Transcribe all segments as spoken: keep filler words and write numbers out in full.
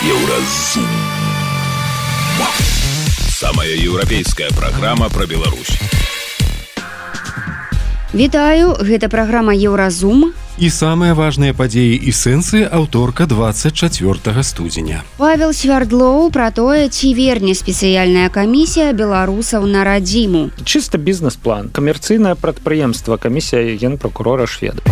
Еўразум. Самая еўрапейская праграма пра Беларусь. Вітаю, гэта праграма Еўразум. І самыя важныя падзеі і сэнсы аўторка двадцать чацвёртага студзеня. Павел Свярдлоў пра тое, ці верне спецыяльная камісія беларусаў на радзіму. Чыста бізнес-план. Камерцыйнае прадпрыемства, камісія генпракурора шведа.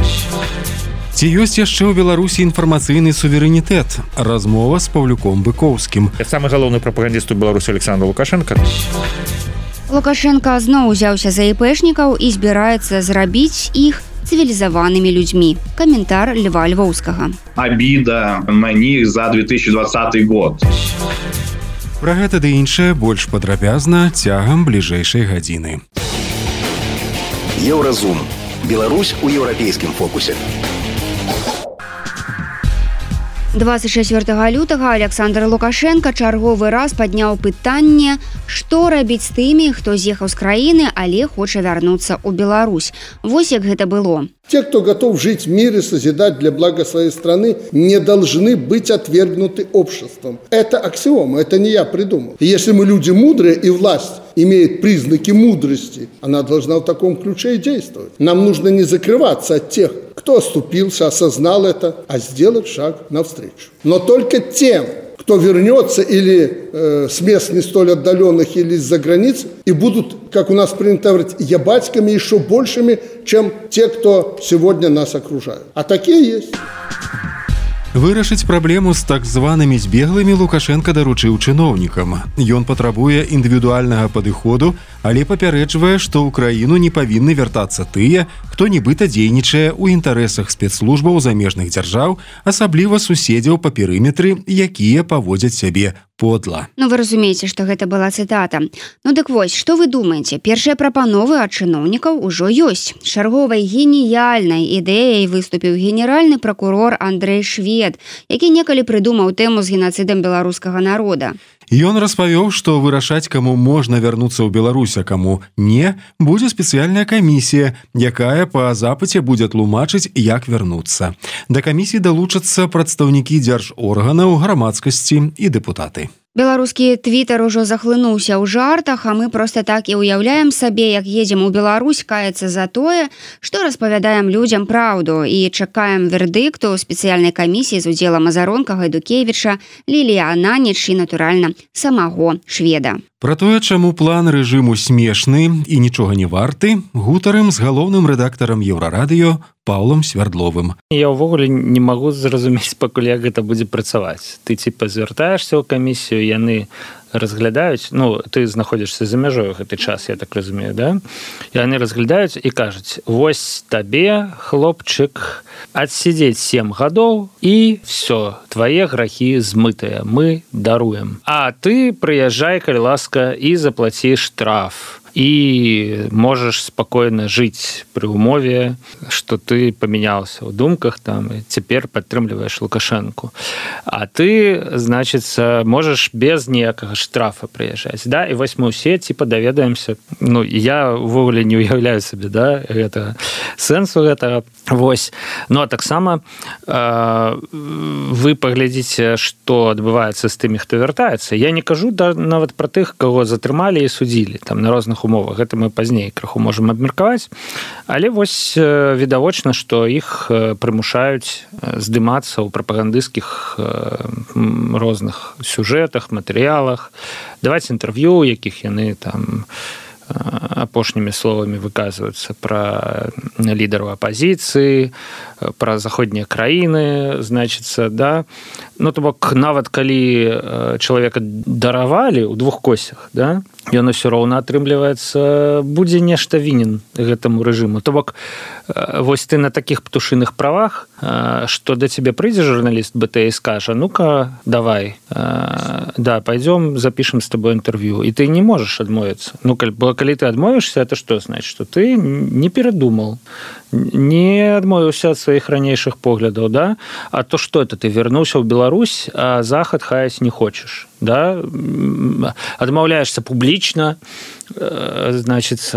Ці ёсць яшчэ ў Беларусі інфармацыйны суверэнітэт? Размова з Паўлюком Быкоўскім. Самы галоўны прапагандіст у Беларусі Александр Лукашенко. Лукашенко зноў узяўся за іпэшнікаў і збіраецца зрабіць іх цивилизованными людьми. Комментар Льва Львовскага. Обида на них за две тысячи двадцатый год. Пра гэта ды іншае больш падрабязна цягам бліжэйшай гадзіны. Еўразум. Беларусь у еўрапейскім фокусе. двадцать чацвёртага лютага Александр Лукашенко чарговы раз падняў пытанне, што рабіць з тымі, хто з'ехаў з краіны, але хоча вярнуцца ў Беларусь. Вось як гэта было. Те, кто готов жить в мире, созидать для блага своей страны, не должны быть отвергнуты обществом. Это аксиома, это не я придумал. И если мы люди мудрые, и власть имеет признаки мудрости, она должна в таком ключе и действовать. Нам нужно не закрываться от тех, кто оступился, осознал это, а сделать шаг навстречу. Но только тем, кто вернется или э, с мест не столь отдаленных, или из-за границ, и будут, как у нас принято говорить, ябатьками еще большими, чем те, кто сегодня нас окружают. А такие есть. Вырашыць праблему з так званымі збеглымі Лукашенко даручыў чыноўнікам. Ён патрабуе індывідуальнага падыходу, але папярэджвае, што ў краіну не павінны вяртацца тыя, хто нібыта дзейнічае ў інтарэсах спецслужбаў замежных дзяржаў, асабліва суседзяў па перыметры, якія паводзяць сябе подла. Ну вы разумееце, што гэта была цытата. Ну дык вось, што вы думаеце? Першыя прапановы ад чыноўнікаў ужо ёсць. Чарговай геніяльнай ідэяй выступіў генеральны пракурор Андрэй Швед, які некалі прыдумаў тэму з генацыдам беларускага народа. Ён распавёў, што вырашаць, каму можна вярнуцца ў Беларусь, а каму не, будзе спецыяльная камісія, якая па запыце будзе тлумачыць, як вярнуцца. Да камісіі далучацца прадстаўнікі дзяржорганаў, грамадскасці і дэпутаты. Беларускі твітар ужо захлынуўся ў жартах, а мы проста так і ўяўляем сабе, як едзем у Беларусь каяцца за тое, што распавядаем людзям праўду і чакаем вердыкту спецыяльнай камісіі з удзелам Азаронка, Гайдукевіча, Ліліі Ананіч і, натуральна, самого Шведа. Пра тое, чаму план рэжыму смешны і нічога не варты, гутарым з галоўным рэдактарам Еўрарадыё Паўлам Свярдловым. Я ўвогуле не магу зразумець, пакуль як гэта будзе працаваць. Ты ціпа звяртаешся ў камісію, яны разглядаюць, ну, ты знаходзішся за мяжой гэты час, я так разумею, да? І яны разглядаюць і кажуць: вось табе, хлопчык, адсидзець сем гадоў, і все, твае грахі змытыя, мы даруем. А ты прыязджай, калі ласка, і заплаці штраф. І можаш спакойна жыць пры ўмове, што ты памяняўся ў думках там, і цяпер падтрымліваеш Лукашэнку. А ты, значыцца, можаш без ніякага штрафа прыязджаць. Да? І вось мы ўсе ціпа даведаемся. Ну, я ўвогуле не ўяўляю сабе, да, гэтага сэнсу гэтага. Вось. Ну, а таксама э, вы паглядзіце, што адбываецца з тымі, хто вяртаецца. Я не кажу да, нават пра тых, каго затрымалі і судзілі там на розных умовах. Гэта мы пазней крыху можам абмеркаваць. Але вось відавочна, што іх прымушаюць здымацца ў прапагандысцкіх розных сюжэтах, матэрыялах, даваць інтэрв'ю, якіх яны там апошнімі словамі выказваюцца пра лідараў апазіцыі, пра заходнія краіны, значыцца, да. Ну, то бок, нават калі чалавека даравалі ў двух косях, да, ён усё роўна атрымліваецца, будзе нешта вінен гэтаму рэжыму. То бок, вось ты на такіх птушыных правах, што да цябе прыйдзе журналіст бэ тэ і скажа: ну-ка, давай, да, пойдём, запішам з табой інтэрв'ю. І ты не можаш адмовіцца. Ну, калі, калі ты адмовішся, это што значыць? Што ты не перадумал. не адмовіўся ад сваіх ранейшых поглядаў, да? А то што это, ты вярнуўся ў Беларусь, а захад хаяць не хочаш, да? Адмаўляешься публічна, значит,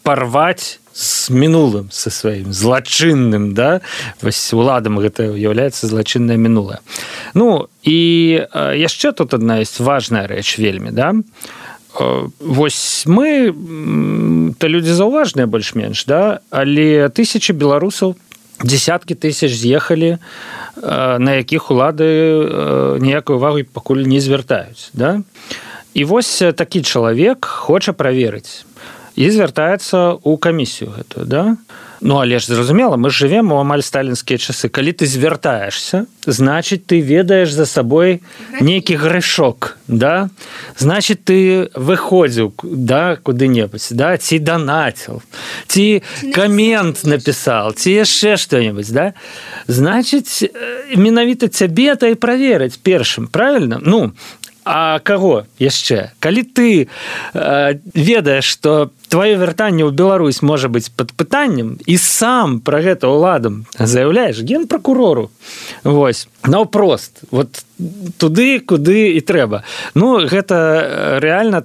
парваць с мінулым, со сваім злачынным, да? Вось уладам гэта ўяўляецца злачыннае мінулае. Ну, і яшчэ тут адна ёсць важная рэч вельмі, да? Вось мы, то людзі заўважныя больш-менш, да? Але тысячы беларусаў, десяткі тысяч з'ехалі, на якіх улады ніякай увагі пакуль не звяртаюць, да? І вось такі чалавек хоча праверыць і звяртаецца ў камісію гэтую, да? Ну, але ж зразумела, мы жывем у амаль сталінскія часы. Калі ты звяртаешься, значыць, ты ведаеш за сабой нейкі грэшок, да? Значыць, ты выходзіў, да, куды-небудзь, да? Ці данаціў, ці камент напісаў, ці яшчэ што-небудзь, да? Значыць, менавіта цябе то і праверыць першым, правильно? Ну, а каго яшчэ? Калі ты э, ведаеш, што твоё вяртанне ў Беларусь можа быць пад пытаннем, і сам пра гэта ўладам заяўляеш генпракурору, вось, наўпрост, вот туды, куды і трэба. Ну, гэта рэальна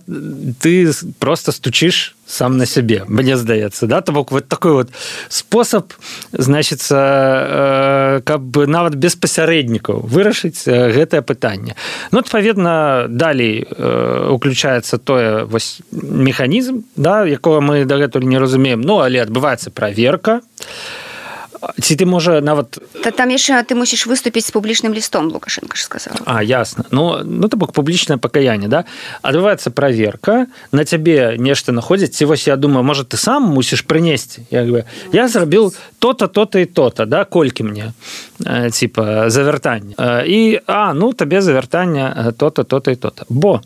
ты просто стучыш сам на сябе, мне здаецца, да? То бок вот такой вот спосаб, значыцца, каб нават без пасярэднікаў вырашыць гэтае пытанне. Ну, адпаведна, далей уключаецца тое вось механізм, да, якого мы дагэтуль не разумеем, ну, але адбываецца праверка. Ці ты, можа, нават... Та там яшчэ ты мусіш выступіць з публічным лістом, Лукашенко ж сказаў. А, ясна. Ну, ну то бок публічнае пакаянне, да? Адбываецца праверка, на цябе нешта находзіць, ці вось я думаю, можа, ты сам мусіш прынесці. Як бы, я зрабіў то-то, то-то і то-то, да? Колькі мне, э, типа, за вяртанне. Э, і, а, ну, табе за вяртанне то-то, то-то і то-то. Бо,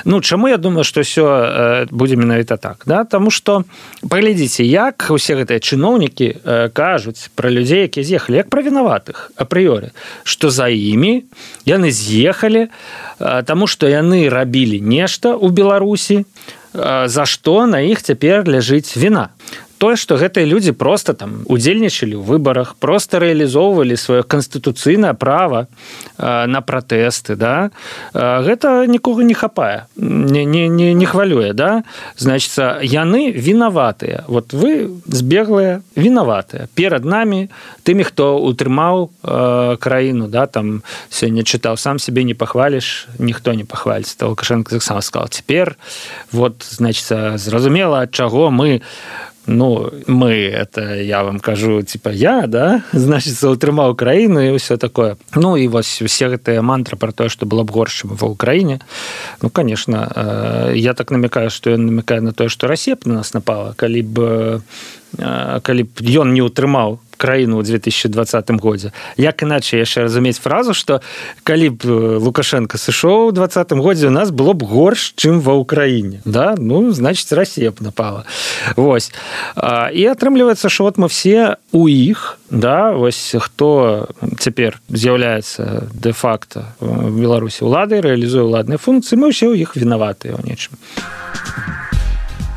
ну, чаму я думаю, што ўсё э, будзе менавіта так, да? Таму што, паглядзіце, як усе гэтыя чыноўнікі э, кажуць пра людзей, якія з'ехалі, як пра вінаватых апрыёры, што за імі яны з'ехалі, таму што яны рабілі нешта ў Беларусі, за што на іх цяпер ляжыць віна. Тое, што гэтыя людзі проста там удзельнічалі ў выбарах, проста рэалізоўвалі сваё канстытуцыйнае права на пратэсты, да? Гэта нікога не хапае, не, не, не, не хвалюе, да? Значыцца, яны вінаватыя. Вот вы збеглыя вінаватыя. Перад намі, тымі, хто утрымаў э, краіну, да? Там сёння чытаў, сам сябе не пахваліш, ніхто не пахваліць. То Лукашенко таксама сказал, цяпер, вот, значыцца, зразумела, ад чаго мы ну, мы, это я вам кажу, типа, я, да, значит, утрымаў краіну і ўсё такое. Ну, і вось усе гэтыя мантры пра тое, што было б горш, чым ва Ўкраіне. Ну, конечно, я так намекаю, што ён намекае на тое, што Расія б на нас напала, калі б, калі б ён не утрымаў краіну ў две тысячи двадцатым годзе. Як іначай яшчэ разумець фразу, што калі б Лукашенко сышоў у двадцатым годзе, у нас было б горш, чым ва Ўкраіне. Да? Ну, значит, Расія б напала. Вось. І атрымліваецца, што вот мы все у іх, да, вось хто цяпер з'яўляецца дэ-факта в Беларусі уладай, рэалізуе ўладныя функцыі, мы ўсе ў іх вінаватыя ў нечым.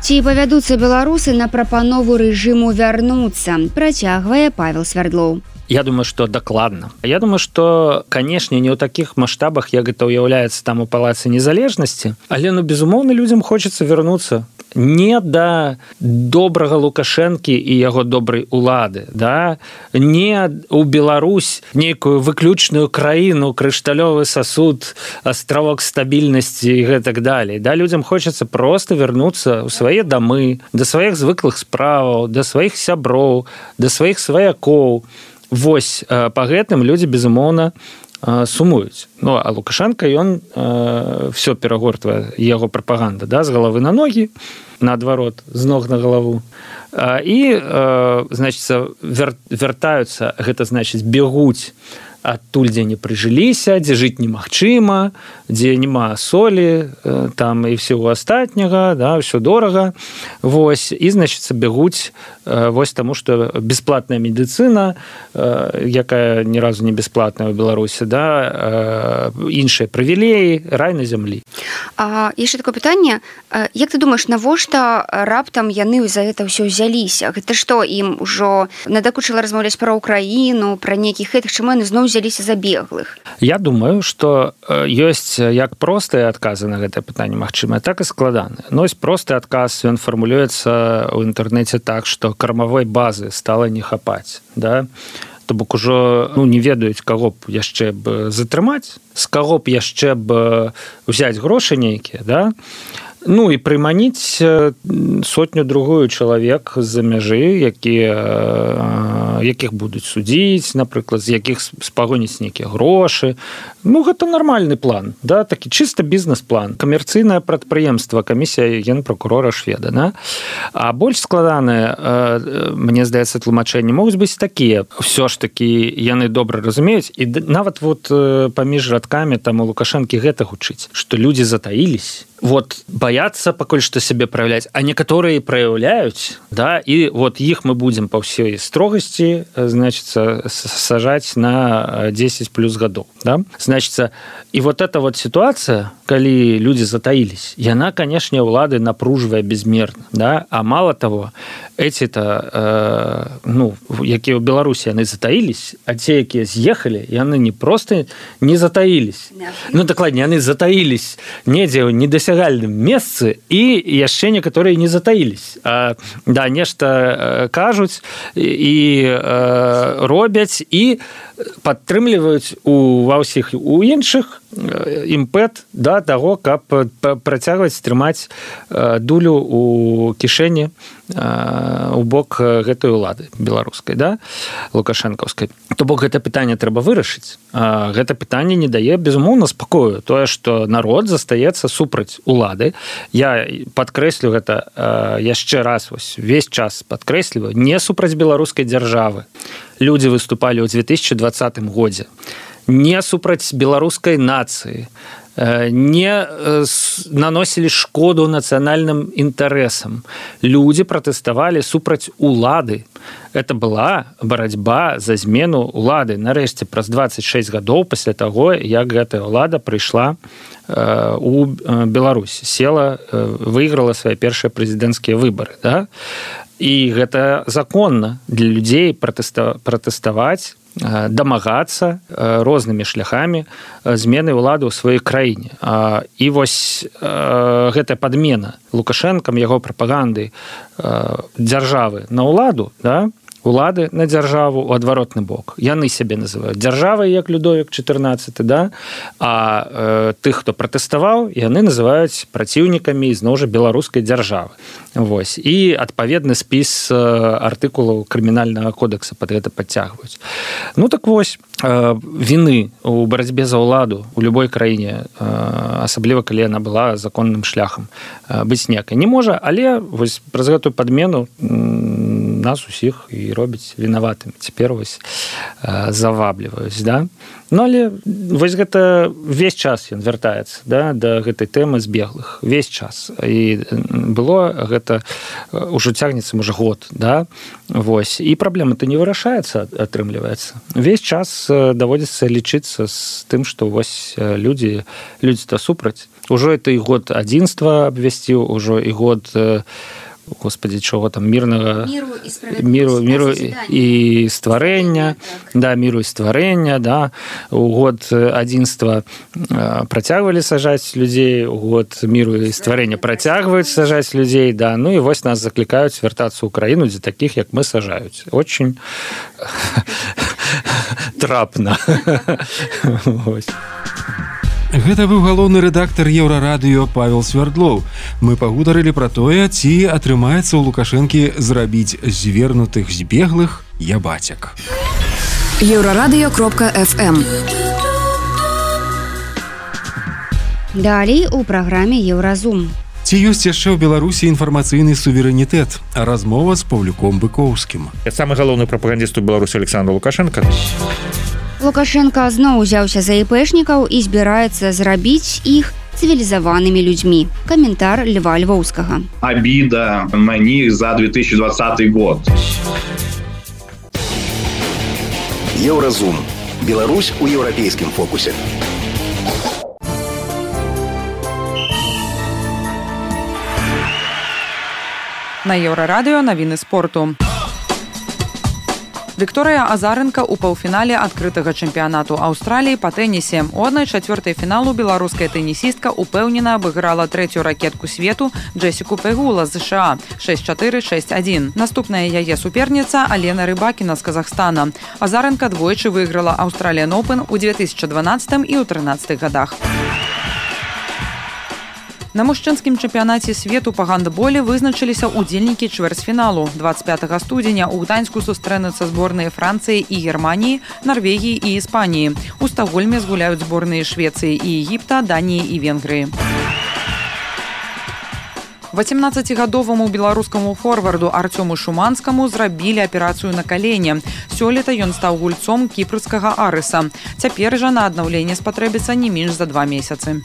Ці павядуцца беларусы на прапанову рэжыму вярнуцца, працягвае Павел Свярдлоў. Я думаю, што дакладна. Я думаю, што, канешне, не ў такіх маштабах, як гэта ўяўляецца там у Палацы Незалежнасці, але, ну, безумоўна, людзям хочацца вярнуцца не да добрага Лукашэнкі і яго добрай улады, да? Не ў Беларусь, нейкую выключную краіну, крышталёвы сасуд, астравок стабільнасці і гэтак далей. Да? Людзям хочацца проста вярнуцца ў свае дамы, да сваіх звыклых справаў, да сваіх сяброў, да сваіх сваякоў. Вось, па гэтым людзі, безумоўна, сумуюць. Ну, а Лукашенко, ён э, все перагортвае, яго прапаганда, да, з галавы на ногі, наадварот, з ног на галаву. А, і, э, значыць, вер, вяртаюцца, гэта значыць, бегуць адтуль, дзе не прыжыліся, дзе жыць немагчыма, дзе няма солі, там і всего астатняга, да, ўсё дорага. Вось, і, значыцца, бягуць вось таму, што бясплатная медыцына, якая ні разу не бясплатная ў Беларусі, да, іншыя прывілеі, рай на зямлі. А яшчэ такое пытанне, як ты думаеш, навошта раптам яны за гэта ўсё ўзяліся? Гэта што, ім ужо надакучыла размаўляць пра Украіну, пра нейкіх гэтых, чаму яны зноў узяліся за беглых? Я думаю, што ёсць як простыя адказы на гэтае пытанне магчымыя, так і складаныя. Ну, ёсць просты адказ, ён фармулюецца ў інтэрнэце так, што кармавой базы стала не хапаць, да? То бок ужо, ну, не ведаюць, каго б яшчэ б затрымаць, з каго б яшчэ б узяць грошы нейкія, да? Ну, і прыманіць сотню другую чалавек з-за мяжы, якія, якіх будуць судзіць, напрыклад, з якіх спагоніць нейкія грошы. Ну, гэта нармальны план, да? Такі чыста бізнес-план. Камерцыйнае прадпрыемства, камісія генпракурора Шведа, да? А больш складаныя, мне здаецца, тлумачэнні могуць быць такія. Всё ж такі яны добра разумеюць, і нават вот паміж радкамі там у Лукашэнкі гэта гучыць, што людзі затаілись, вот боятся пакуль што сябе праяўляць, а некаторыя праяўляюць, да, і вот іх мы будзем па ўсёй строгасці, значыцца, сажаць на дзесяць плюс гадоў, да? Значыцца, і вот эта вот сітуацыя, калі людзі затаілись, яна, канешне, ўлады напружвае безмерна, да? А мало того, эти-то, э, ну, якія ў Беларусі яны затаілись, а те, якія з'ехалі, яны не просто не затаілись, ну, дакладней, яны затаілись недзе ў недасягальным месцы, і яшчэ некаторыя не затаілись. А, да, нешта кажуць і э, робяць, і падтрымліваюць у ва ўсіх у іншых імпэт, да, таго, каб працягваць трымаць дулю у кішэні у бок гэтай улады беларускай, да, лукашэнкаўскай. То бок гэта пытанне трэба вырашыць. Гэта пытанне не дае, безумоўна, спакою. Тое, што народ застаецца супраць улады. Я падкрэслю гэта яшчэ раз, вось, весь час падкрэсліваю, не супраць беларускай дзяржавы. Людзі выступалі ў две тысячы двадцатым годзе. Не супраць беларускай нацыі, не наносілі шкоду нацыянальным інтарэсам. Людзі пратэставалі супраць улады. Это была барацьба за змену улады. Нарэшце, праз дваццаць шэсць гадоў пасля таго, як гэтая ўлада прыйшла у Беларусь, села, выйграла свае першыя прэзідэнцкія выбары, да? І гэта законна для людзей пратэставаць, дамагацца рознымі шляхамі змены ўлады ў сваёй краіне. І вось гэтая падмена Лукашэнкам, яго прапаганды дзяржавы на ўладу, да, улады на дзяржаву ў адваротны бок. Яны сябе называюць дзяржавай, як Людовік чатырнаццаты, да? А э, тых, хто пратэставаў, яны называюць праціўнікамі зноў жа беларускай дзяржавы. Вось. І адпаведны спіс э, артыкулаў крымінальнага кодекса пад гэта падцягваюць. Ну так вось, э, віны ў барацьбе за ўладу ў любой краіне, э, асабліва калі яна была законным шляхам, э, быць некай не можа, але вось праз гэтую падмену нас усіх і робіць вінаватымі. Цяпер вось э, завабліваюць, да? Ну, але вось гэта весь час ён вяртаецца, да, да гэтай тэмы збеглых. Весь час. І было гэта ўжо цягнецца, можа, год, да? Вось. І праблема-то не вырашаецца, атрымліваецца. Весь час даводзіцца лічыцца з тым, што вось людзі, людзі-то супраць. Ужо это і год адзінства абвясціў, ужо і год Господи, чого там, мирного... Миру і справедливості. Миру, миру і створення, да, миру і створення, да. У год адзінства працягвалі сажаць людзей, у год миру і створення працягваюць сажаць людзей, да. Ну і вось нас заклікаюць вяртацца ў Украіну, дзе такіх, як мы, сажаюць. Очень трапна. Вось. Гэта быў галоўны рэдактар Еўрарадыё Павел Свярдлоў. Мы пагутарылі пра тое, ці атрымаецца ў Лукашэнкі зрабіць звернутых збеглых ябацяк. еўрарадыё кропка эф эм. Далей у праграме Еўразум. Ці ёсць яшчэ ў Беларусі інфармацыйны суверэнітэт? Размова з Паўлюком Быкоўскім. Самы галоўны прапагандіст у Беларусі Александр Лукашенко. Лукашенко зноў узяўся за іпэшнікаў і збіраецца зрабіць іх цивилизованными людьми. Комментар Льва Львовского. Обида на них за две тысячи двадцатый год. Еўразум. Беларусь у еўрапейскім фокусе. На Еўрарадыё навіны спорту. Вікторыя Азаренка ў паўфінале адкрытага чэмпіянату Аўстраліі па тэнісе. У адной чацвёртай фіналу беларуская тэнісістка упэўнена абыграла трэцюю ракетку свету Джесіку Пегула з ЗША шэсць чатыры шэсць адзін. Наступная яе суперніца Алена Рыбакіна з Казахстана. Азаренка двойчы выйграла Australian Open у две тысячи дванаццатым і ў трынаццатых годах. На мужчынскім чэмпіянаце свету па гандболе вызначыліся ўдзельнікі чвэрцьфіналу. дваццаць пятага студзеня ў Гданьску сустрэнуцца зборныя Францыі і Германіі, Нарвегіі і Іспаніі. У Стакгольме згуляюць зборныя Швецыі і Егіпта, Даніі і Венгрыі. васемнаццацігадоваму беларускаму форварду Артёму Шуманскаму зрабілі аперацыю на калене. Сёлета ён стаў гульцом кіпрскага Арыса. Цяпер жа на аднаўленне спатрэбіцца не менш за два месяцы.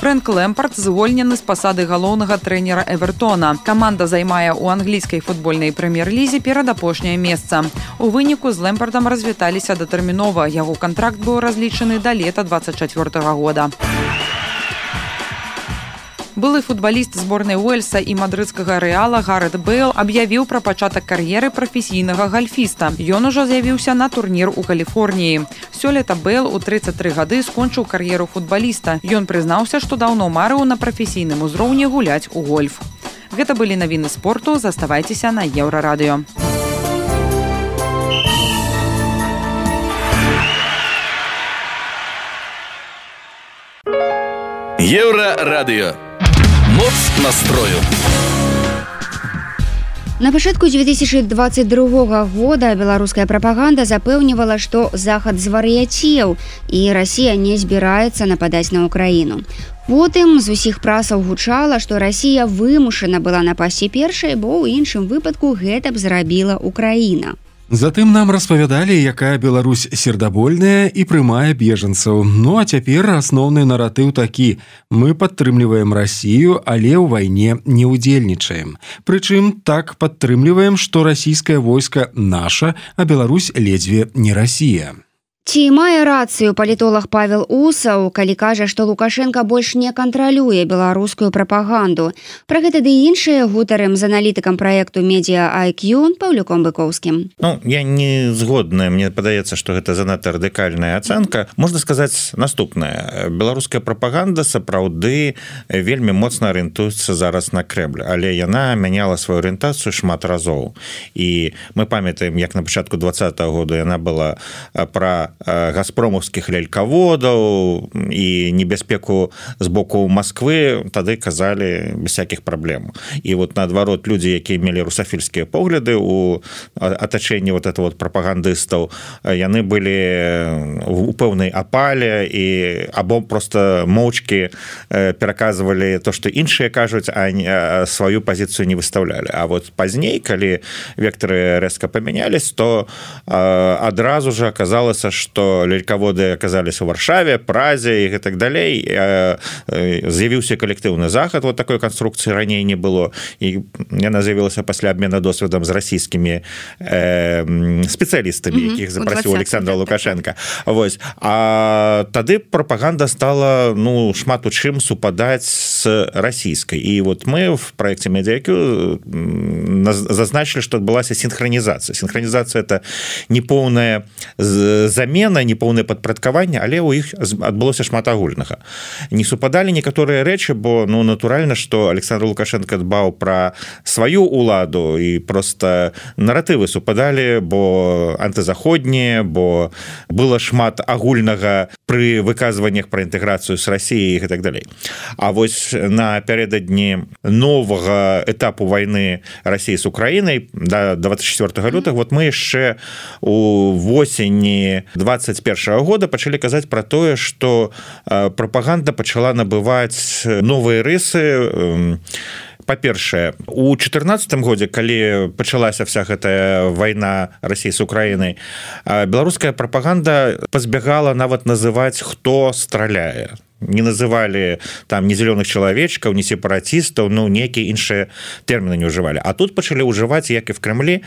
Фрэнк Лэмпард звольнены з пасады галоўнага трэнера Эвертона. Каманда займае ў англійскай футбольнай прэм'ер-лізе перадапошняе месца. У выніку з Лэмпардам развіталіся датэрмінова. Яго кантракт быў разлічаны да лета дваццаць чацвёртага года. Былы футбаліст зборнай Уэльса і мадрыдскага Рэала Гарэт Бэйл аб'явіў пра пачатак кар'еры прафесійнага гальфіста. Ён ужо з'явіўся на турнір у Каліфорніі. Сёлета Бэйл у трыццаць тры гады скончыў кар'еру футбаліста. Ён прызнаўся, што даўно марыў на прафесійным узроўні гуляць у гольф. Гэта былі навіны спорту. Заставайцеся на Еўрарадыё. Еўрарадыё. Моц настрою. На пачатку две тысячи двадцать другога года беларуская прапаганда запэўнівала, што Захад звар'яцеў і Расія не збіраецца нападаць на Украіну. Потым з усіх прасаў гучала, што Расія вымушана была напасці першай, бо ў іншым выпадку гэта б зрабіла Украіна. Затым нам распавядалі, якая Беларусь сердабольная і прымае бежанцаў. Ну а цяпер асноўны наратыў такі: мы падтрымліваем Расію, але ў вайне не ўдзельнічаем. Прычым так падтрымліваем, што расійскае войска наша, а Беларусь ледзьве не Расія. Ці мае рацыю палітолог Павел Усаў, калі кажа, што Лукашенко больш не кантралюе беларускую прапаганду? Пра гэта ды іншыя гутарым з аналітыкам праекту Media ай кью Паўлюком Быкоўскім. Ну, я не згодная, мне падаецца, што гэта занадта радыкальная ацэнка. Можна сказаць наступнае. Беларуская прапаганда сапраўды вельмі моцна арыентуецца зараз на Кремль, але яна мяняла сваю арыентацыю шмат разоў. І мы памятаем, як на пачатку двадцатага года яна была пра газпромаўскіх лялькаводаў і небяспеку з боку Масквы, тады казалі без всякіх праблем. І вот наадварот, людзі, якія мелі русафільскія погляды у атачэнні вот этого вот прапагандыстаў, яны былі у пэўнай апале і або просто моўчкі пераказвалі то, што іншыя кажуць, а сваю пазіцыю не выстаўлялі. А вот пазней, калі вектары рэзка памянялись, то адразу же аказалася, што лялькаводы аказаліся ў Варшаве, Празе і так далей. З'явіўся калектыўны захад, вот такой канструкцыі раней не было, і яна з'явілася пасля абмена досведам з расійскімі э, спецыялістамі, якіх запрасіў Александр Лукашенко. Вось. А тады прапаганда стала, ну, шмат у чым супадаць з расійскай. І вот мы в проекте Media ай кью зазначылі, што адбылася синхронізацыя. Синхронізацыя — это непоўная замена, непоўнае падпарадкаванне, але ў іх адбылося шмат агульнага. Не супадалі некаторыя рэчы, бо ну натуральна, што Александр Лукашенко дбаў пра сваю ўладу і просто наратывы супадалі, бо антызаходнія, бо было шмат агульнага пры выказваннях пра інтэграцыю з Расіяй і так далей. А вось напярэдадні новага этапу вайны Расіі з Украінай да двадцать четвёртага лютага, вот мы яшчэ у восені двадцать першага года пачалі казаць пра тое, што прапаганда пачала набываць новыя рысы, па-першае у чатырнаццатым годзе калі пачалася вся гэтая вайна России с Украінай беларуская прапаганда пазбягала нават называць хто страляе не называли там не зеленых человечков не сепаратистов ну некие іншие термины не уживали а тут пачали уживать як и в Кремле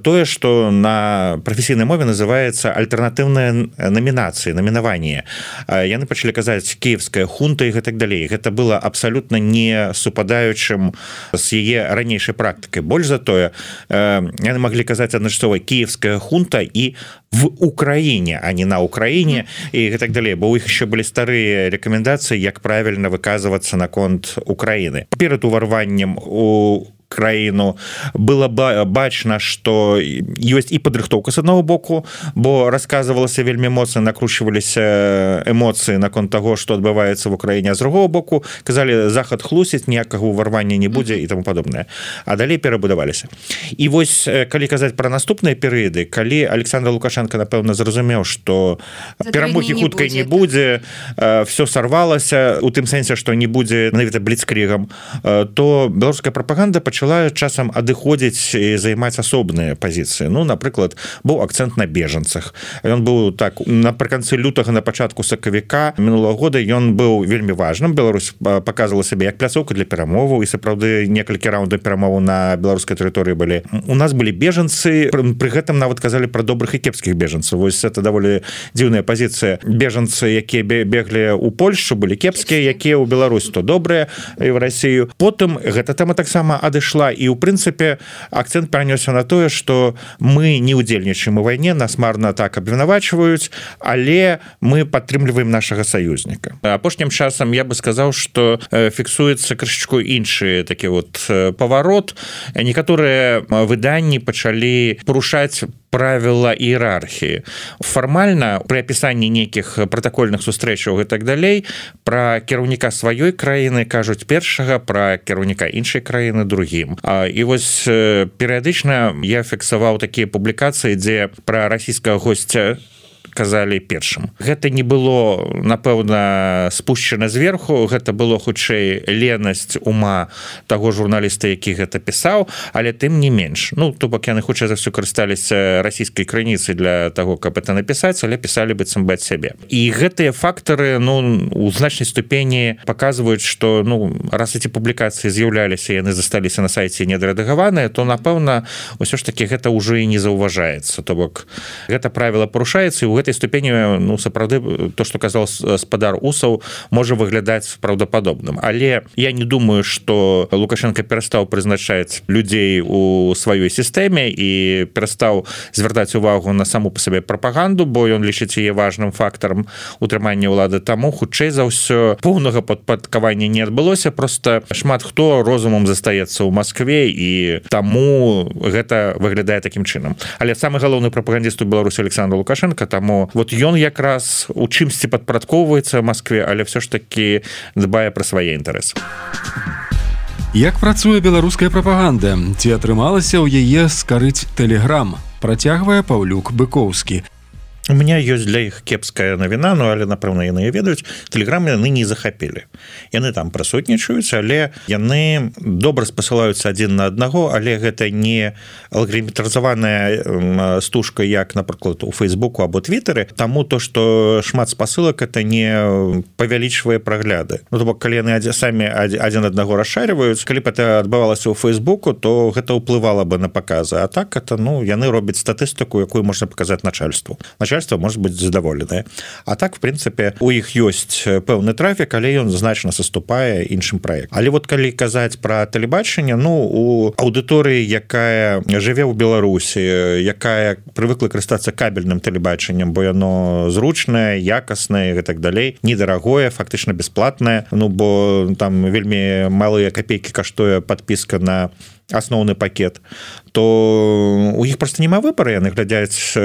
тое что на професійнай мове называется альтернативная номинации номинование яны пачали казаць киевская хунта и так далее это было абсолютно не супадаючым с яе ранейшай практыкай больш за тое яны могли казаць адначасова киевская хунта и в Украине а не на Украине и так далее бо у іх еще были старые рекомендации як правильно выказываться наконт Украины перед уварваннем у краіну было бачна что ёсць і падрыхтоўка с одного боку бо рассказывалася вельмі моцна накручиваліся эмоцыі наконт того что адбываецца в Украине а з другого боку казали захад хлусіць ніякага уварвання не будзе і тому подобное а далей перабудаваліся і вось калі казаць про наступныя перыяды калі Александр Лукашенко напэўна зразумеў что перамогі хуткай не будзе все сорвалася у тым сэнсе что не будзе навіта бліцкрігам то беларуская прапаганда пачала часам адыходзіць і займаць асобныя пазіцыі ну напрыклад быў акцент на бежанцах ён быў так напрыканцы лютага на пачатку сакавіка мінулого года ён быў вельмі важным Беларусь показывала сябе як пляцоўка для перамоваў і сапраўды некалькі раундаў перамоваў на беларускай тэрыторыі былі у нас былі бежанцы пры гэтым нават казалі про добрых і кепскіх бежанцаў вось это даволі дзіўная пазіцыя бежанцы якія беглі у Польшу былі кепскія якія ў Беларусь то добрыя і в Россию потым гэта тема таксама адышла і у прынцыпе акцент перанёсся на тое что мы не удзельнічаем у вайне нас марна так абвінавачваюць але мы падтрымліваем нашага саюзніка апошнім часам я бы сказаў что фіксуецца крышачку іншы такі вот паварот некаторыя выданні пачалі парушаць правила іерархіі фармальна при апісанні нейкіх протакольных сустрэчаў і так далей про кіраўніка сваёй краіны кажуць першага про кіраўніка іншай краіны другім і вось перыядычна я фіксаваў такія публікацыі дзе про расійскага госця казалі першым гэта не было напэўна спущена зверху гэта было хутчэй ленасць ума таго журналіста які гэта пісаў але тым не менш ну то бок яны хутчэй за ўсё карысталіся расійскай крыніцай для того каб это напісаць але пісалі быццам бы ад сябе і гэтыя фактары ну у значнай ступені паказваюць что ну раз эти публікацыі з'яўляліся яны засталіся на сайце недорэдагаваныя то напэўна ўсё ж таки гэта ўжо і не заўважаецца то бок гэта правіла парушаецца і у этой ступені ну сапраўды то что казал спадар Усаў можа выглядаць праўдападобным але я не думаю что Лукашенко перастаў прызначаць людзей у сваёй сістэме і перастаў звяртаць увагу на саму по сабе прапаганду бо ён лічыць яе важным фактарам утрымання ўлады таму хутчэй за ўсё поўнага падпадкавання не адбылося просто шмат хто розумам застаецца ў Москве і таму гэта выглядае такім чынам але самы галоўны прапагандіст у Беларусі Александр Лукашенко таму вот ён якраз у чымсьці падпарадкоўваецца в Москве але все ж таки дбае пра свае інтарэсы Як працуе беларуская прапаганда ці атрымалася ў яе скарыць Telegram працягвае Паўлюк Быкоўскі У меня ёсць для іх кепская навіна ну але напэўна яны ведаюць Telegram яны не захапілі яны там прысутнічаюць але яны добра спасылаюцца адзін на аднаго але гэта не алгоритмізаваная стужка як напрыклад у Фейсбуку або Твиттары таму то что шмат спасылак это не павялічвае прагляды ну, то бок калі яны самі адзін аднаго расшарваюць калі б это адбывалася ў Фейсбуку то гэта ўплывала бы на паказы а так это ну яны робяць статыстыку якую можна паказаць начальству начальство может быть задаволенае а так в прынцыпе у іх ёсць пэўны трафік але ён значна саступае іншым праект але вот калі казаць про тэлебачанне ну у аўдыторыі якая жыве ў Беларусі якая прывыкла карыстацца кабельным тэлебачаннем бо яно зручнае якаснае і так далей недарагое фактычна бесплатнае ну бо там вельмі малыя копейкі каштуе подпіска на асноўны пакет то у іх просто няма выбора яны глядяць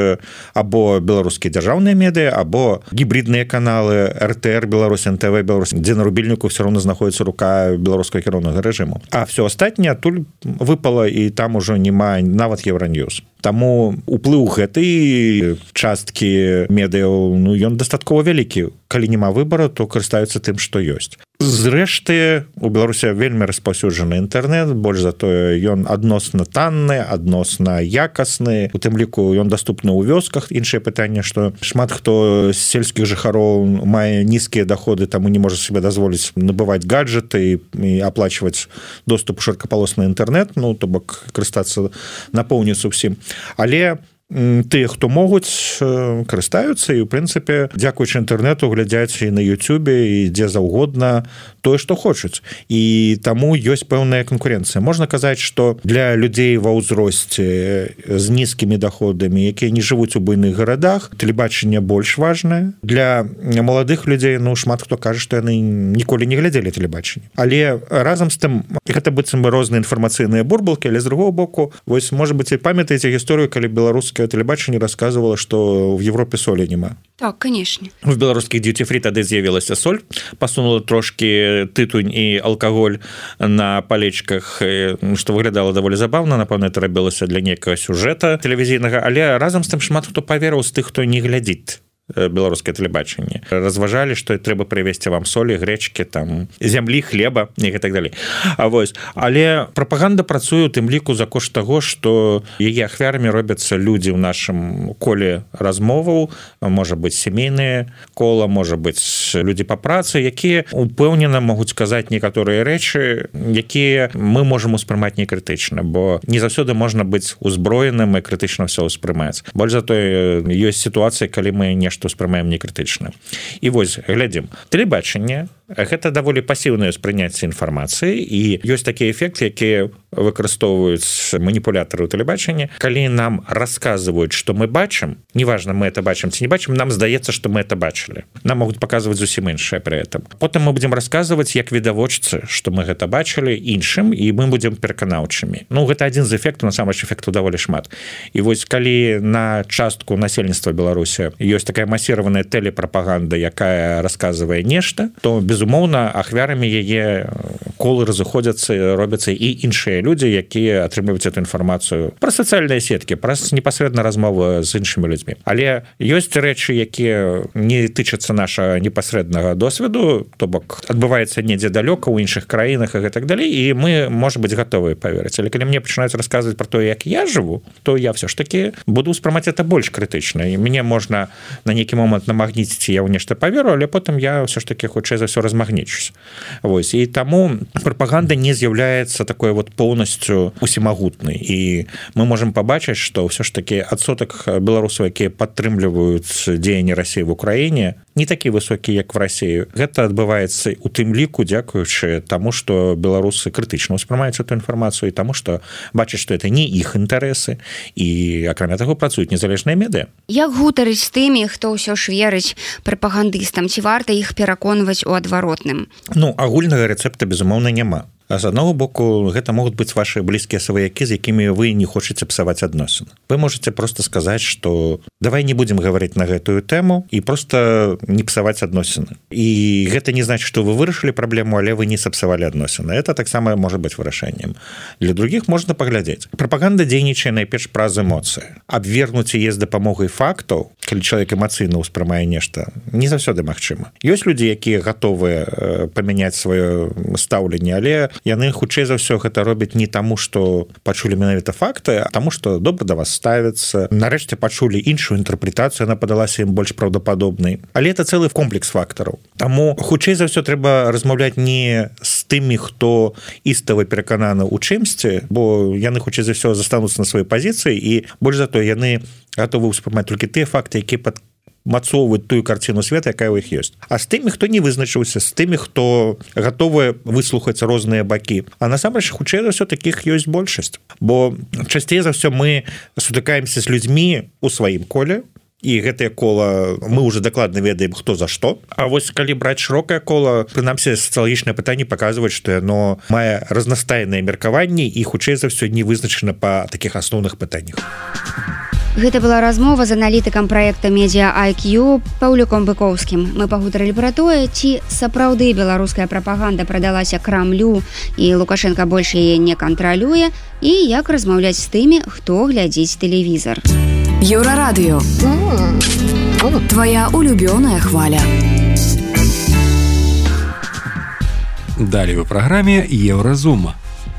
або беларускія дзяржаўныя медыа або гібридныя каналы эр тэ эр Беларусь эн тэ вэ Беларусь дзе на рубільніку все равно знаходіцца рука беларускага кіроўнага рэжыму а все астатняе адтуль выпала і там ужо няма нават Евроньюз Таму уплыў гэтай часткі медыяў ну ён дастаткова вялікі калі няма выбора то карыстаюцца тым што ёсць Зрэшты у Беларусі вельмі распаўсюджаны інтэрнэт, больш за тое ён адносна танны, адносна якасны, у тым ліку ён даступны ў вёсках. Іншае пытанне, што шмат хто з сельскіх жыхароў мае нізкія даходы, таму не можа себе дазволіць набываць гаджеты і аплачваць доступ у шырокапалосны інтэрнэт, ну то бок карыстацца напоўніцу ўсім. Але тыя, хто могуць, карыстаюцца і, у прынцыпе, дзякуючы інтэрнэту глядзяць і на Ютубе, і дзе заўгодна тое, што хочуць. І таму ёсць пэўная канкурэнцыя. Можна казаць, што для людзей ва ўзросце з нізкімі даходамі, якія не жывуць у буйных гарадах, тэлебачанне больш важнае. Для маладых людзей, ну, шмат хто кажа, што яны ніколі не глядзелі тэлебачанне. Але разам з тым, гэта быццам бы розныя інфармацыйныя бурбалкі, але з другого боку, вось, можа быць, і памятаеце гісторыю, калі беларуская телебачение рассказывала, что в Европе соли нема. Так, конечно. В белорусских дьюти-фри тады з'явілася соль, пасунула трошки тытунь і алкаголь на палечках, што выглядала даволі забаўна, напэўна, это рабілася для некага сюжэта тэлевізійнага, але разам з тым шмат хто паверыў з тых, хто не глядзіць беларускае тэлебачанне. Разважалі, што трэба прывезці вам солі, грэчкі, там зямлі, хлеба і так далей. А вось, але прапаганда працуе у тым ліку за кошт таго, што яе ахвярамі робяцца людзі ў нашым коле размоваў, можа быць сямейныя кола, можа быць людзі па працы, якія упэўнена могуць сказаць некаторыя рэчы, якія мы можам успрымаць некрытычна, бо не заўсёды можна быць узброеным і крытычна ўсё ўспрымаць. Больш за тое, ёсць сітуацыі, калі мы нешта што ўспрымаем некрытычна. І вось, глядзім. Тэлебачанне – гэта даволі пасіўнае ўспрыняцце інфармацыі, і ёсць такі эфект, які выкарыстоўваюць маніпулятары ў тэлебачанні. Калі нам расказваюць, што мы бачым, неважна, мы это бачым ці не бачым, нам здаецца, што мы это бачылі. Нам могуць паказваць зусім іншае пры этом. Потым мы будзем расказваць, як відавочцы, што мы гэта бачылі іншым, і мы будзем пераканаўчымі. Ну, гэта адзін з эфектаў, насамрэч эфектаў даволі шмат. І вось, калі на частку насельніцтва Беларусі ёсць такая масіраваная тэлепрапаганда, якая расказвае нешта, то, безумоўна, ахвярамі яе колы разыходзяцца, робяцца і іншыя людзі, якія атрымліваюць эту інфармацыю праз сацыяльныя сеткі, праз непасрэдна размовы з іншымі людзьмі. Але ёсць рэчы, якія не тычацца нашага непасрэднага досведу, то бок адбываецца недзе далёка ў іншых краінах і гэтак далей, і мы, можа быць, гатовыя паверыць. Але калі мне пачынаюць расказваць пра тое, як я жыву, то я ўсё ж такі буду ўспрымаць это больш крытычна. І мне можна на нейкі момант намагніціць, я ў нешта паверу, але потым я ўсё ж такі хутчэй за ўсё размагнічусь. Вось, і таму прапаганда не з'яўляецца такой вот поўнасцю усімагутнай, і мы можам пабачыць, што ўсё ж такі адсотак беларусаў, якія падтрымліваюць дзеянні Расіі в Украіне, не такі высокі, як в Расіі. Гэта адбываецца у тым ліку, дзякуючы таму, што беларусы крытычна ўспрымаюць эту інфармацыю, і таму, што бачаць, што это не іх інтарэсы, і акрамя таго працуюць незалежныя медыа. Як гутарыць з тымі, хто ўсё ж верыць прапагандыстам, ці варта іх пераконваць у адваротным? Ну, агульнага рэцэпта, безумоўна, няма. А з аднаго боку, гэта могуць быць ваши блізкія сваякі, з якімі вы не хочаце псаваць адносіны. Вы можете просто сказаць, што давай не будзем гаварыць на гэтую тэму і просто не псаваць адносіны. І гэта не значит, што вы вырашылі праблему, але вы не сапсавалі адносіны. Это таксама можа быць вырашэннем. Для других можна паглядзець. Прапаганда дзейнічае найперш праз эмоцыі. Абвергнуць яе з дапамогай фактаў, калі чалавек эмацыйна ўспрымае нешта, не заўсёды магчыма. Ёсць людзі, якія гатовыя памяняць сваё стаўленне, але яны хутчэй за ўсё гэта робяць не таму, што пачулі менавіта факты, а таму, што добра да вас ставяцца. Нарэшце пачулі іншую інтэрпрэтацыю, яна падалася ім больш праўдападобнай. Але это цэлы комплекс фактараў. Таму хутчэй за ўсё трэба размаўляць не з тымі, хто істава перакананы ў чымсьці, бо яны хутчэй за ўсё застануцца на сваёй пазіцыі, і больш за тое яны гатовы ўспрымаць толькі тыя факты, якія пад мацоўваць тую карціну света, якая ў іх ёсць. А з тымі, хто не вызначыўся, з тымі, хто гатовы выслухаць розныя бакі. А насамрэч, хутчэй за ўсё такіх ёсць большасць. Бо часцей за ўсё мы сутыкаемся з людзьмі ў сваім коле, і гэтае кола мы уже дакладна ведаем, хто за што. А вось калі браць шырокае кола, прынамсі сацыялагічнае пытанне паказваюць, што яно мае разнастайныя меркаванні і хутчэй за ўсё не вызначана па такіх асноўных пытаннях. Гэта была размова з аналітыкам праекта Media ай кью Паўлюком Быкоўскім. Мы пагутарылі пра тое, ці сапраўды беларуская прапаганда прадалася Крамлю і Лукашенко больш яе не кантралюе, і як размаўляць з тымі, хто глядзіць тэлевізар. Еўрарадыё. Твоя улюбёная хваля. Далей у праграме Еўразум.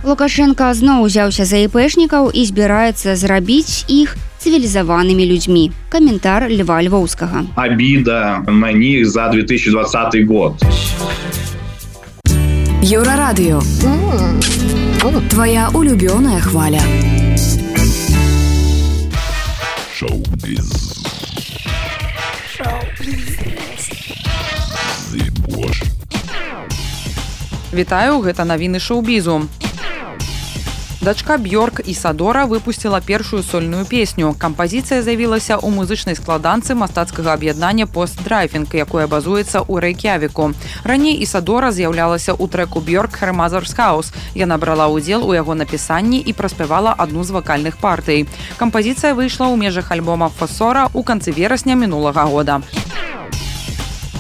Лукашенко зноў узяўся за іпэшнікаў і збіраецца зрабіць іх цивилизованными людьми. Комментар Льва Львовского. Обида на них за две тысячи двадцатый год. Еврорадио. Твоя улюбленная хваля. Шоу-биз. Вітаю, гэта навіны шоу-бізу. Дачка Бьорк Ісадора выпусціла першую сольную песню. Кампазіцыя з'явілася ў музычнай складанцы мастацкага аб'яднання «Постдрайвінг», якое базуецца ў Рэйк'явіку. Раней Ісадора з'яўлялася ў трэку Бьорк «Her Mother's House». Яна брала ўдзел у яго напісанні і праспявала адну з вакальных партый. Кампазіцыя выйшла ў межах альбома «Фосора» ў канцы верасня мінулага года.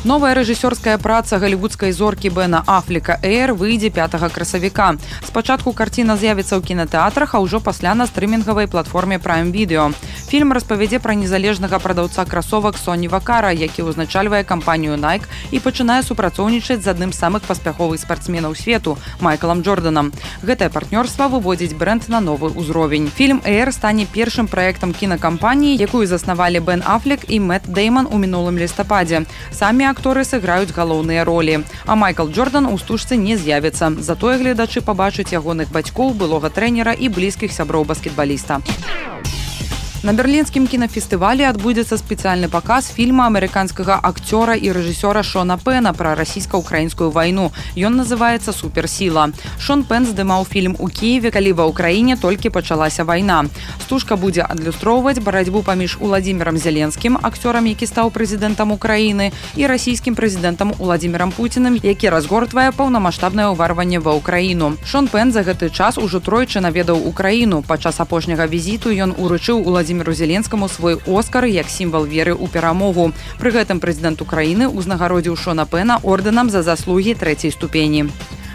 Новая рэжысёрская праца галівудскай зоркі Бена Афлека «Эйр» выйдзе пятага красавіка. Спачатку карціна з'явіцца ў кінатэатрах, а ўжо пасля на стрымінгавай платформе Prime Video. Фільм распавядзе пра незалежнага прадаўца красовак Соні Вакара, які ўзначальвае кампанію Nike і пачынае супрацоўнічаць з адным з самых паспяховых спартсменаў свету – Майклам Джорданам. Гэтае партнёрства выводзіць брэнд на новы ўзровень. Фільм «Эйр» стане першым праектам кінакампаніі, якую заснавалі Бен Афлек і Мэтт Дэйман у мінулым лістападзе. Самі акторы сыграюць галоўныя ролі. А Майкл Джордан у стужцы не з'явіцца. Затое гледачы пабачаць ягоных бацькоў, былога трэнера і блізкіх сяброў баскетбаліста. На берлінскім кінафестывалі адбудзецца спецыяльны паказ фільма амерыканскага акцёра і рэжысёра Шона Пэна пра расійска-украінскую вайну. Ён называецца «Суперсіла». Шон Пэн здымаў фільм у Кіеве, калі ва ўкраіне толькі пачалася вайна. Стужка будзе адлюстроўваць барацьбу паміж Уладзімірам Зеленскім, акцёрам, які стаў прэзідэнтам Украіны, і расійскім прэзідэнтам Уладзімірам Пуцінам, які разгортвае паўнамаштабнае ўварванне ва ўкраіну. Шон Пэн за гэты час ужо тройчы наведаў Украіну. Падчас апошняга візіту ён уручыў Уладзіміру Владимиру Зеленскому свой Оскар як сімвал веры ў перамогу. Пры гэтым прэзідэнт Украіны ўзнагародзіў Шона Пэна ордэнам за заслугі трэцяй ступені.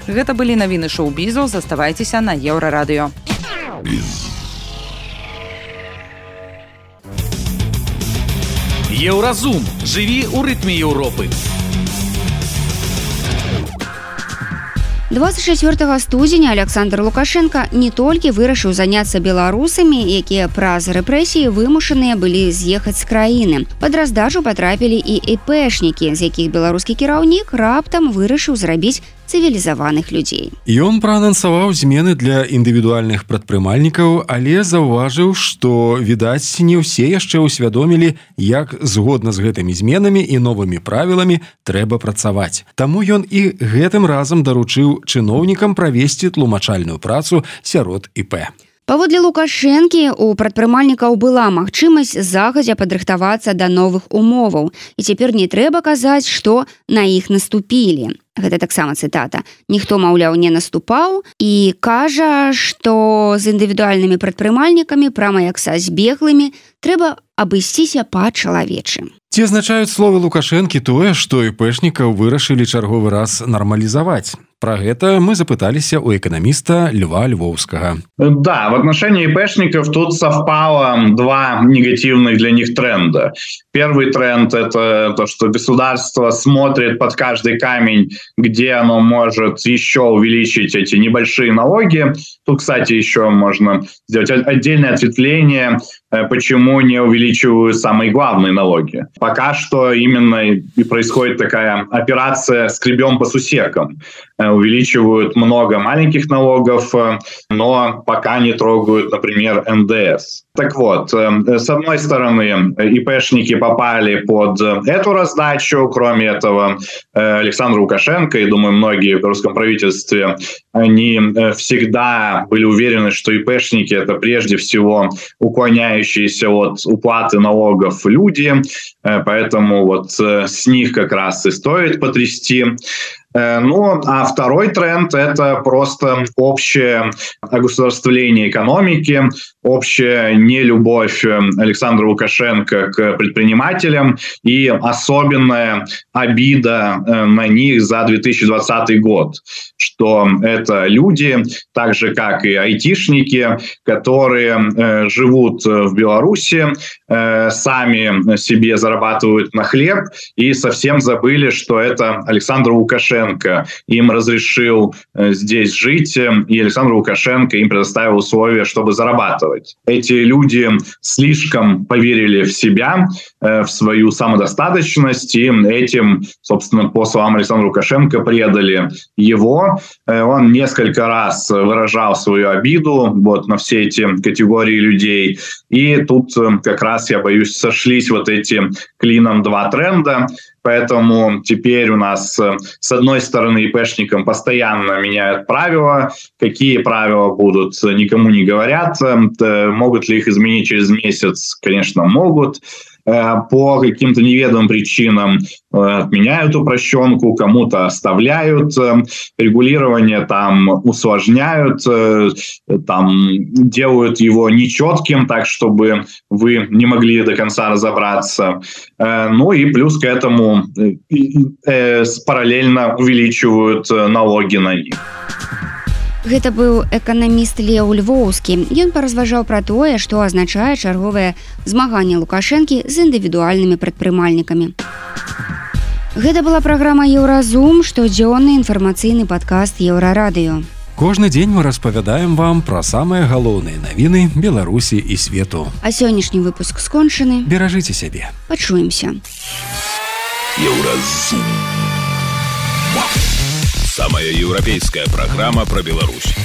Гэта былі навіны шоу-бізу. Заставайцеся на Еўрарадыё. Еўразум. Жыві ў рытме Еўропы. двадцать чацвёртага студзеня Александр Лукашенко не толькі вырашыў заняцца беларусамі, якія праз рэпрэсіі вымушаныя былі з'ехаць з краіны. Пад раздачу патрапілі і іпэшнікі, з якіх беларускі кіраўнік раптам вырашыў зрабіць цывілізаваных людзей. Ён праанансаваў змены для індывідуальных прадпрымальнікаў, але заўважыў, што, відаць, не ўсе яшчэ ўсвядомілі, як згодна з гэтымі зменамі і новымі правіламі трэба працаваць. Таму ён і гэтым разам даручыў чыноўнікам правесці тлумачальную працу сярод ІП. Паводле Лукашэнкі, у прадпрымальнікаў была магчымасць загадзя падрыхтавацца да новых умоваў. І цяпер не трэба казаць, што на іх наступілі. Гэта таксама цытата. Ніхто, маўляў, не наступаў і кажа, што з індывідуальнымі прадпрымальнікамі, прама як са збеглымі, трэба абысціся па-чалавечы. Ці азначаюць словы Лукашэнкі тое, што іпэшнікаў вырашылі чарговы раз нармалізаваць? Про гэта мы запыталіся у экономиста Льва Львовского. Да, в отношении ИПшников тут совпало два негативных для них тренда. Первый тренд – это то, что государство смотрит под каждый камень, где оно может еще увеличить эти небольшие налоги. Тут, кстати, еще можно сделать отдельное ответвление, почему не увеличивают самые главные налоги. Пока что именно и происходит такая операция «скребем по сусекам». Увеличивают много маленьких налогов, но пока не трогают, например, эн дэ эс. Так вот, с одной стороны, ИПшники попали под эту раздачу. Кроме этого, Александр Лукашенко, и, думаю, многие в русском правительстве, они всегда были уверены, что ИПшники – это прежде всего уклоняющиеся от уплаты налогов люди, поэтому вот с них как раз и стоит потрясти. Ну, а второй тренд – это просто общее огосударствление экономики, общая нелюбовь Александра Лукашенко к предпринимателям и особенная обида на них за две тысячи двадцатый год, что это люди, так же как и айтишники, которые живут в Беларуси, сами себе зарабатывают на хлеб и совсем забыли, что это Александр Лукашенко Лукашенко им разрешил здесь жить, и Александр Лукашенко им предоставил условия, чтобы зарабатывать. Эти люди слишком поверили в себя, в свою самодостаточность, и этим, собственно, по словам Александра Лукашенко, предали его. Он несколько раз выражал свою обиду вот, на все эти категории людей. И тут как раз, я боюсь, сошлись вот эти клином два тренда. Поэтому теперь у нас, с одной стороны, ИПшникам постоянно меняют правила. Какие правила будут, никому не говорят. Могут ли их изменить через месяц? Конечно, могут. По каким-то неведомым причинам отменяют упрощенку, кому-то оставляют, регулирование там усложняют, там делают его нечетким, так, чтобы вы не могли до конца разобраться. Ну и плюс к этому параллельно увеличивают налоги на них. Гэта быў эканаміст Леў Львоўскі. Ён паразважаў пра тое, што азначае чарговае змаганне Лукашэнкі з індывідуальнымі прадпрымальнікамі. Гэта была праграма «Еўразум», штодзённы інфармацыйны падкаст «Еўрарадыё». Кожны дзень мы распавядаем вам пра самыя галоўныя навіны Беларусі і свету. А сённяшні выпуск скончаны. Беражыце сябе. Пачуемся. Еўразум. Самая еўрапейская праграма пра Беларусь.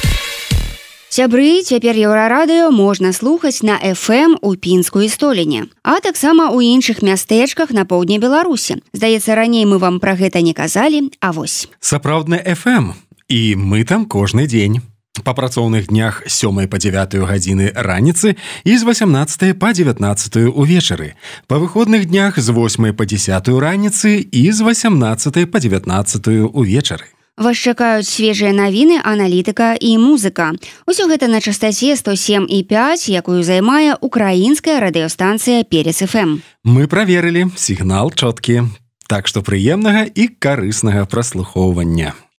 Сябры, цяпер Еўрарадыё можна слухаць на эф эм у Пінскую Століне, а таксама ў іншых мястэчках на поўдні Беларусі. Здаецца, раней мы вам пра гэта не казалі, а вось. Сапраўдны эф эм, і мы там кожны дзень. Па працоўных днях з сёмай па дзявятую гадзіны раніцы і з васямнаццатай па дзевятнаццатую ўвечары. Па выходных днях з восьмай па дзесятую раніцы і з васямнаццатай па дзевятнаццатую ўвечары. Вас чакаюць свежыя навіны, аналітыка і музыка. Усё гэта на частаце сто сем і пяць, якую займае украінская радыёстанцыя Перец эф эм. Мы праверылі, сігнал чоткі. Так што прыемнага і карыснага праслухоўвання.